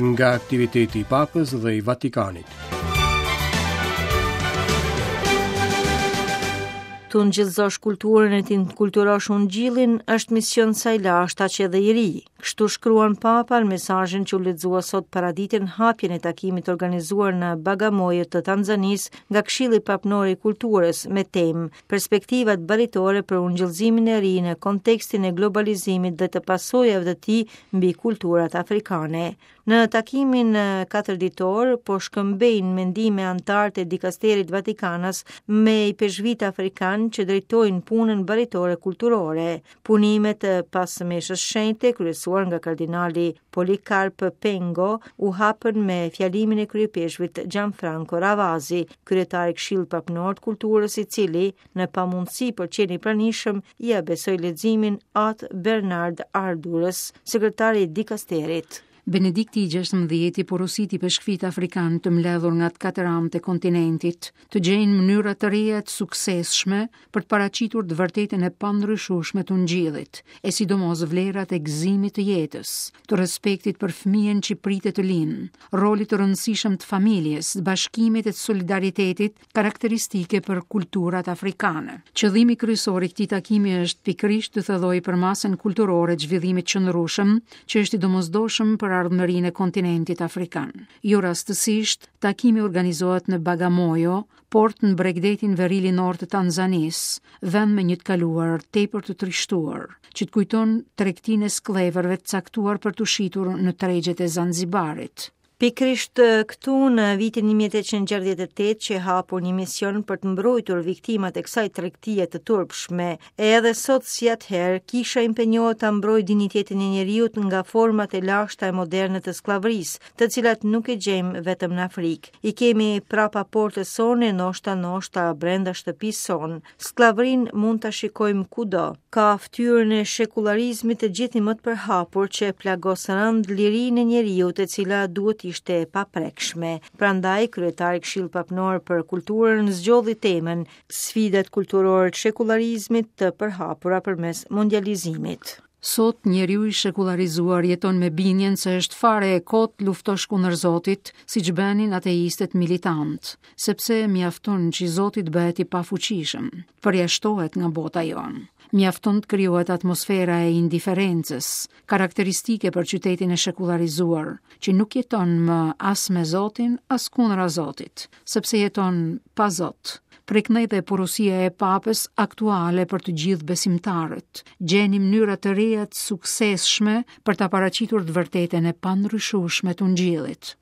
Nga aktiviteti i Papës dhe i Vatikanit. Të ungjillëzosh kulturën e të inkulturosh ungjillin është mision sa i lashtë aq edhe i ri. Kështu shkruan Papa në mesazhin që u lexua sot paradite në hapjen e takimit të organizuar në Bagamoyo të Tanzanisë nga Këshilli Papnor i Kulturës me temë Perspektivat baritore për ungjillëzimin e ri në kontekstin e globalizimit dhe të pasojave të tij mbi kulturat afrikane. Në takimin katërditor po shkëmbejnë mendime anëtarët e dikasterit vatikanas me ipeshkvijtë afrikanë që drejtojnë punën baritore kulturore. Punimet pas meshës shenjte, kryesuar nga kardinali Polikarp Pengo, u hapën me fjalimin e kryeipeshkvit Gianfranco Ravasi, kryetar i Këshillit Papnor të Kulturës, i cili, në pamundësi për të qenë i pranishëm, ia besoi leximin At Bernard Ardurës, sekretar i dikasterit. Benedikti i XVI porositi ipeshkvijtë afrikanë të mbledhur nga të katër anët e kontinentit, të gjejnë mënyra të reja të suksesshme për të paraqitur të vërtetën e pandryshueshme të Ungjillit, e sidomos vlerat e gëzimit të jetës, të respektit për fëmijën që pritet të lindë, rolit të rëndësishëm të familjes, të bashkimit e të solidaritetit karakteristike për kulturat afrikane. Qëllimi kryesor i këtij takimi është pikërisht të thellojë përmasën kulturore të zhvillimit të qëndrueshëm, që është i domosdoshëm për ardhmërinë e kontinentit afrikan. Jo rastësisht, takimi organizohet në Bagamoyo, port në bregdetin verilindor të Tanzanisë, vend me një të kaluar tepër të trishtuar, që të kujton tregtinë e skllevërve të caktuar për t'u shitur në tregjet e Zanzibarit. Pikërisht këtu në vitin 1868 qe hapur një mision për të mbrojtur viktimat e kësaj tregtie të turpshme. E edhe sot si atëherë, kisha impenjohet ta mbrojë dinjitetin e njeriut nga format e lashta e moderne të skllavërisë, të cilat nuk i gjejmë vetëm në Afrikë. I kemi prapa portës sonë e ndoshta ndoshta brenda shtëpisë sonë. Skllavërinë mund ta shikojmë kudo. Ka fytyrën e shekullarizmit të gjithnjë më të përhapur që e plagos rëndë lirinë e njeriut e cila duhet të ishte e paprekshme. Prandaj, kryetari i Këshillit Papnor për Kulturën zgjodhi temën Sfidat kulturore të shekullarizmit të përhapura përmes mondializimit. Sot njeriu i shekullarizuar jeton me bindjen se është fare e kotë të luftosh kundër Zotit, siç bënin ateistët militantë, sepse mjafton që Zoti të bëhet i pafuqishëm, të përjashtohet nga bota jonë. Mjafton të krijohet atmosfera e indiferencës, karakteristike për qytetin e shekullarizuar, që nuk jeton më as me Zotin, as kundra Zotit, sepse jeton pa Zot. Prej këndej dhe porosia e Papës aktuale për të gjithë besimtarët. Gjeni mënyra të reja të suksesshme për ta paraqitur të vërtetën e pandryshueshme të Ungjillit.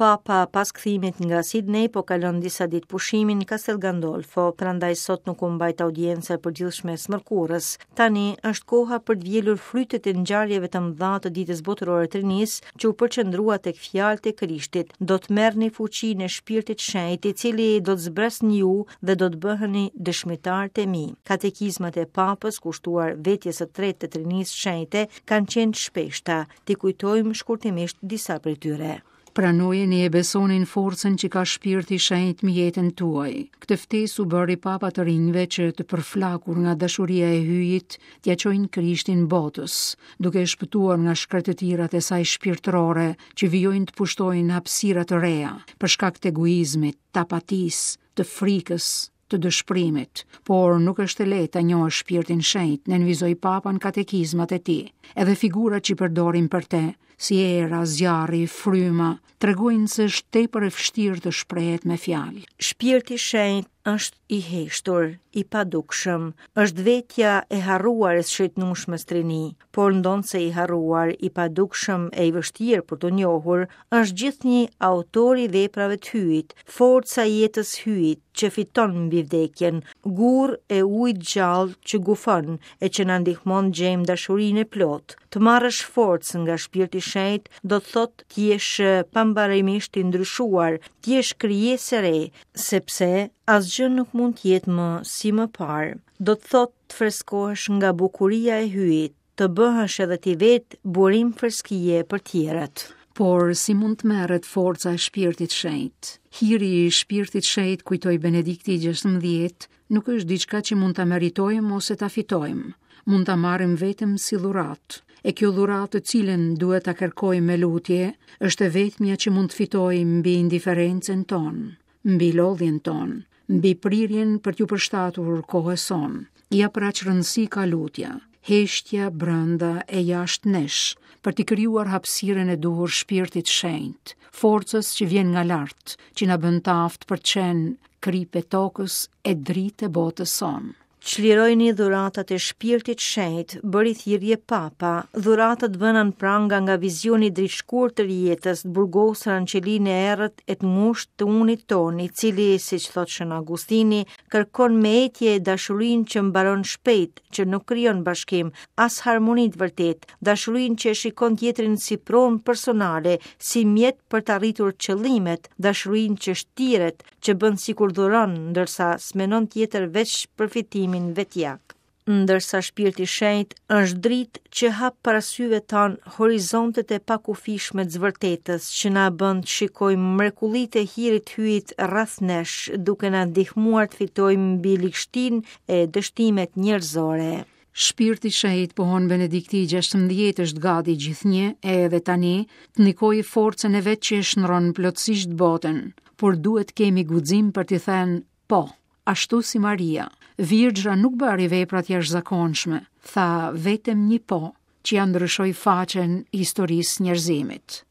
Papa pas kthimit nga Sydney po kalon disa ditë pushimi në Castel Gandolfo, prandaj sot nuk u mbajt audienca e përgjithshme e së mërkurës. Tani është koha për të vjelur frytet e ngjarjeve të mëdha të Ditës Botërore të Rinisë, që u përqendrua tek fjalët e Krishtit, do të merrni fuqinë e Shpirtit të Shenjtë, i cili do të zbresë në ju dhe do të bëheni dëshmitarët e mi. Katekizmat e Papës kushtuar vetjes së tretë të Trinisë Shenjte kanë qenë të shpeshta. T'i kujtojmë shkurtimisht disa prej tyre. Pranojeni e besoni në forcën që ka Shpirti i Shenjtë mbi jetën tuaj. Këtë ftesë u bëri Papa të rinjve që të përflakur nga dashuria e Hyjit, t'ia çojnë Krishtin botës, duke e shpëtuar nga shkretëtirat e saj shpirtërore që vijojnë të pushtojnë hapësira të reja, për shkak të egoizmit, të apatisë, të frikës, të dëshpërimit, por nuk është e lehtë ta njohësh shpirtin shenjt, nënvizoi Papa në katekizmat e tij. Edhe figurat që përdorim për te, si era, zjarri, fryma, tregojnë se është tepër e vështirë të shprehet me fjalë. Shpirti shenjt është i heshtur, i padukshëm, është vetja e harruar e së shenjtnueshmes trini, por ndonëse i harruar, i padukshëm e i vështirë për t'u njohur, është gjithnjë autori i veprave të Hyjit, forca e jetës Hyjit që fiton mbi vdekjen, gurrë e ujit të gjallë që gufon e që na ndihmon të gjejmë dashurinë e plotë. Të marrësh forcë nga Shpirti i Shenjtë do të thotë të jesh pambarimisht i ndryshuar, të jesh krijesë e re, sepse asgjë nuk mund të jetë më si më parë. Do të thotë të freskohesh nga bukuria e Hyjit, të bëhesh edhe ti vetë burim freskie për tjerët. Por si mund të merret forca e Shpirtit Shenjt? Hiri i Shpirtit Shenjt, kujtoi Benedikti i XVI, nuk është diçka që mund ta meritojmë ose ta fitojmë. Mund ta marrim vetëm si dhuratë. E kjo dhuratë të cilën duhet ta kërkojmë me lutje, është e vetmja që mund të fitojë mbi indiferencën tonë, mbi lodhjen tonë, mbi prirjen për t'iu përshtatur kohës sonë. Ja pra ç'rëndësi ka lutja, heshtja brenda e jashtë nesh, për t'i krijuar hapësirën e duhur shpirtit të shenjtë, forcës që vjen nga lart, që na bën të aftë për të qenë kripë e tokës e dritë e botës sonë. Çlirojini dhuratat e Shpirtit Shenjt, bëri thirrje Papa, dhurata të vëna në pranga nga vizioni dritëshkurtër i jetës, të burgosura në qelinë e errët e të ngushtë të unit tonë, i cili, siç thotë Shën Augustini, kërkon me etje dashurinë që mbaron shpejt, që nuk krijon bashkim, as harmoni të vërtetë, dashurinë që e shikon tjetrin si pronë personale, si mjet për të arritur qëllimet, dashurinë që shtiret, që bën sikur dhuron, ndërsa s'menon tjetër veç përfitimin vetjak. Ndërsa shpirti i shenjtë është dritë që hap para syve tanë horizontet e pakufishme të së vërtetës, që na bën të shikojmë mrekullitë e hirit të Hyjit rreth nesh, duke na ndihmuar të fitojmë mbi ligështinë e dështimet njerëzore. Shpirti i Shenjtë, pohon Benedikti i 16, është gati gjithnjë e edhe tani të ndikojë forcën e vet që e shndërron plotësisht botën, por duhet të kemi guxim për t'i thënë po, ashtu si Maria. Virgjra nuk bëri vepra të jashtëzakonshme, tha vetëm një po, që ia ndryshoi faqen historisë së njerëzimit.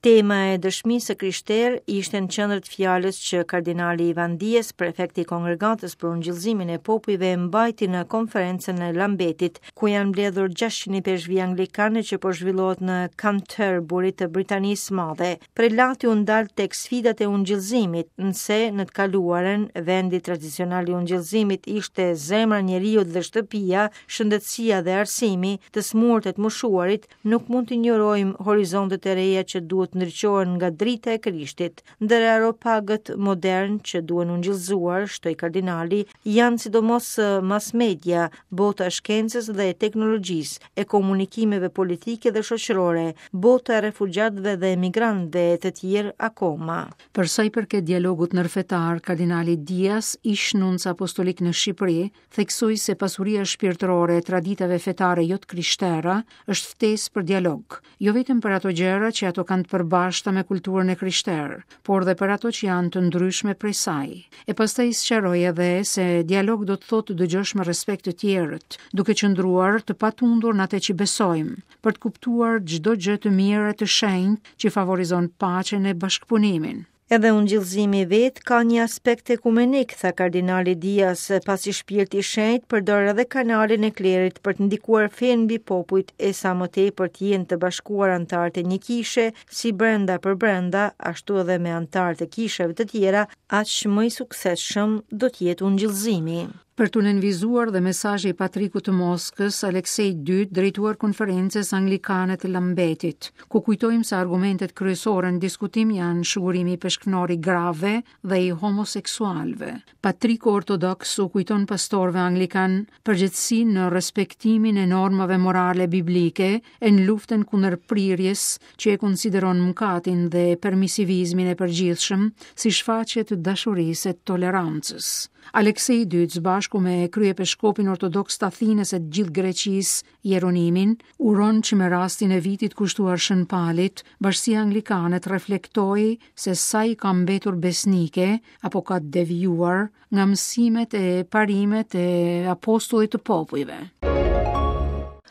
Tema e dëshmisë së krishterë ishte në qendër të fjalës që kardinali Ivan Dias, prefekti i Kongregatës për Ungjillëzimin e Popujve, mbajti në konferencën e Lambetit, ku janë mbledhur 600 ipeshkvij anglikanë që po zhvillohet në Canterbury të Britanisë së Madhe. Prelati u ndal tek sfidat e ungjillëzimit, nëse në të kaluarën vendi tradicional i ungjillëzimit ishte zemra e njeriut dhe shtëpia, shëndetësia dhe arsimi, të sëmurët e të moshuarit, nuk mund të injorojmë horizontet e reja që duhet të ndriçohen nga drita e Krishtit. Ndër areopagët modernë që duhen ungjillëzuar, shtoi kardinali, janë sidomos mass media, bota e shkencës dhe e teknologjisë, e komunikimeve politike dhe shoqërore, bota e refugjatëve dhe emigrantëve e të tjerë akoma. Për sa i përket dialogut ndërfetar, kardinali Dias, ish-nunc apostolik në Shqipëri, theksoi se pasuria shpirtërore e traditave fetare jo të krishtera është ftesë për dialog, jo vetëm për ato gjëra që ato kanë të përbashkëta me kulturën e krishterë, por dhe për ato që janë të ndryshme prej saj. E pastaj sqaroi edhe se dialog do të thotë të dëgjosh me respekt të tjerët, duke qëndruar të patundur në atë që besojmë, për të kuptuar çdo gjë të mirë e të shenjtë që favorizon paqen e bashkëpunimin. Edhe ungjillëzimi vetë ka një aspekt ekumenik, tha kardinali Dias, pasi Shpirti i Shenjtë përdor edhe kanalin e klerit për të ndikuar fenë mbi popujt e sa më tepër të jenë të bashkuar anëtarët e një kishe, si brenda për brenda, ashtu edhe me anëtarët e kishave të tjera, aq më i suksesshëm do të jetë ungjillëzimi. Për t'u nënvizuar dhe mesazhi i Patrikut të Moskës, Aleksej II, drejtuar konferencës anglikane të Lambetit, ku kujtojmë se argumentet kryesore në diskutim janë shugurimi ipeshkvnor i grave dhe i homoseksualëve. Patriku ortodoks u kujton pastorëve anglikanë përgjegjësinë në respektimin e normave morale biblike e në luftën kundër prirjes që e konsideron mëkatin dhe permisivizmin e përgjithshëm si shfaqje të dashurisë e tolerancës. Aleksei i Dytë, së bashku me kryepeshkopin ortodoks të Athinës e të gjithë Greqisë, Jeronimin, uron që me rastin e vitit kushtuar Shën Palit, bashkësia anglikane të reflektojë se sa i ka mbetur besnike apo ka devijuar nga mësimet e parimet e apostullit të popujve.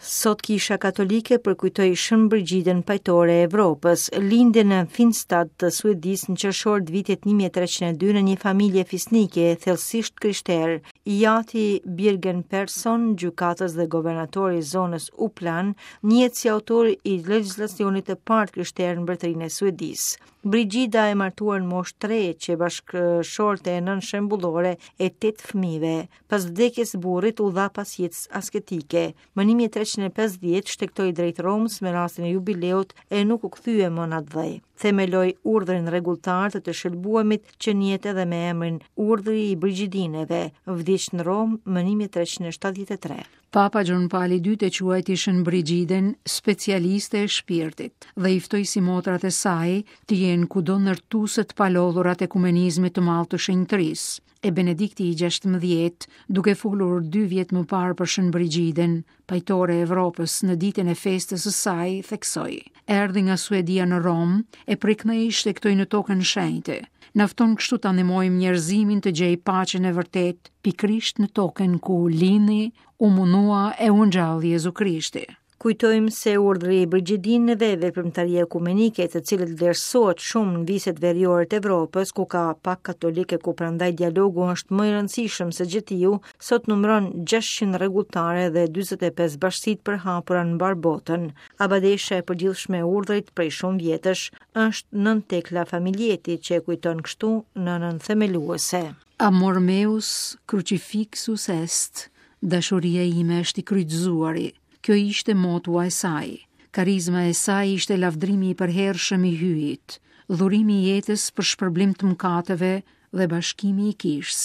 Sot Kisha Katolike përkujtoi Shën Brigidën Pajtore e Evropës, lindi në Finstad të Suedisë në qershor të vitit 1302 në një familje fisnike thellësisht krishterë. I ati Birger Persson, gjykatës dhe guvernator i zonës Uppland, njihet si autor i legjislacionit të parë të krishterë në Mbretërinë e Suedisë. Brigida e martuar në moshë të re, qe bashkëshorte e nënë shembullore e 8 fëmijëve. Pas vdekjes së burrit u dha pas jetës asketike. Më 1350 shtegtoi drejt Romës me rastin e jubileut e nuk u kthye më në atdhe. Themeloi urdhrin rregulltar të të shëlbuemit që njihet edhe me emrin Urdhri i Brigidineve, vdiq në Romë më 1373. Papa Gjon Pali II e quajti Shën Brigiden specialiste e shpirtit dhe i ftoi simotrat e saj të jenë kudo ndërtuese të palodhura të ekumenizmit të madh të shenjtërisë. E Benedikti i 16, duke folur dy vjet më parë për Shën Brigiden, pajtore e Evropës në ditën e festës së saj, theksoi: Erdhi nga Suedia në Romë e prej këndej shtegtoi në tokën shenjte. Na fton kështu ta ndihmojmë njerëzimin të gjejë paqen e vërtetë pikërisht në tokën ku lindi, u mundua e u ngjall Jezu Krishti. Kujtojmë se urdhri i Brigidinëve, veprimtari ekumenike, të cilët vlerësohet shumë në viset veriore të Evropës, ku ka pak katolikë e ku prandaj dialogu është më i rëndësishëm se gjetiu, sot numëron 600 rregulltare dhe 45 bashkësi të përhapura në mbarë botën. Abadesha e përgjithshme e urdhrit prej shumë vjetësh është Nënë Tekla Familjeti që e kujton kështu nënën themeluese. Amor meus crucifixus est, dashuria ime është i kryqëzuari. Kjo ishte motua e saj. Karizma e saj ishte lavdërimi i përhershëm i Hyjit, dhurimi i jetës për shpërblim të mëkateve dhe bashkimi i kishës.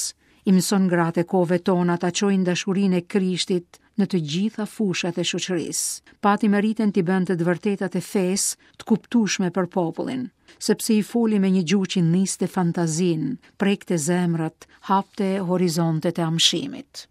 I mëson gratë e kohëve tona ta çojnë dashurinë e Krishtit në të gjitha fushat e shoqërisë. Pati meritën t'i bënte të vërtetat e fesë të kuptueshme për popullin, sepse i foli me një gjuhë që nxiste fantazinë, prekte zemrat, hapte horizontet e amshimit.